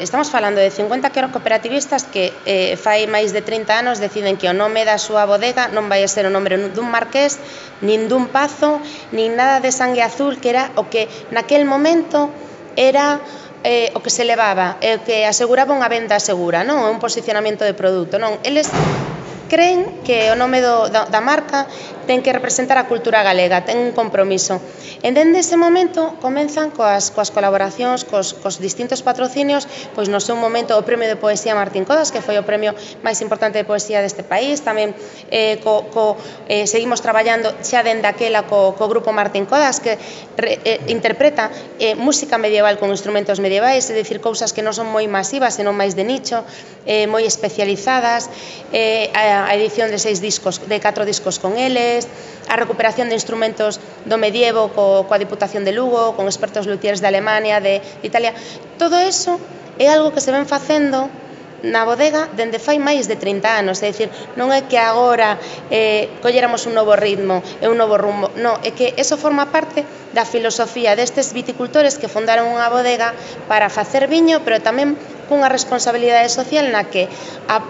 estamos falando de 50 cooperativistas que fai máis de 30 anos deciden que o nome da súa bodega non vai a ser o nome dun marqués, nin dun pazo, nin nada de sangue azul, que era o que naquel momento era o que se levaba, o que aseguraba unha venda segura, non? Un posicionamento de produto, non? Eles creen que o nome da marca ten que representar a cultura galega, ten un compromiso. E dende ese momento comenzan coas colaboracións, cos distintos patrocinios, pois no seu momento o Premio de Poesía Martín Codas, que foi o premio máis importante de poesía deste país, tamén seguimos traballando xa dende aquela co grupo Martín Codas, que interpreta música medieval con instrumentos medievais, é dicir, cousas que non son moi masivas, senón máis de nicho, moi especializadas, a edición de 4 discos con eles, a recuperación de instrumentos do medievo coa Diputación de Lugo, con expertos luthiers de Alemania, de Italia. Todo eso é algo que se ven facendo na bodega dende fai máis de 30 anos, é dicir, non é que agora colléramos un novo ritmo e un novo rumbo, non, é que eso forma parte da filosofía destes viticultores que fundaron unha bodega para facer viño, pero tamén cunha responsabilidade social na que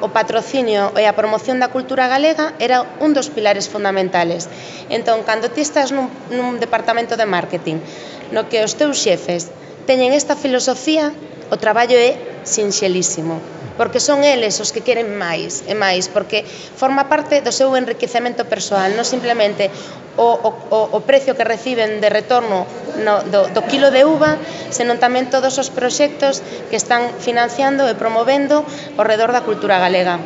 o patrocinio e a promoción da cultura galega era un dos pilares fundamentales. Entón, cando ti estás nun departamento de marketing no que os teus xefes teñen esta filosofía, o traballo é sinxelísimo, porque son eles os que queren máis e máis, porque forma parte do seu enriquecemento persoal, non simplemente o precio que reciben de retorno do quilo de uva, senón tamén todos os proxectos que están financiando e promovendo ao redor da cultura galega.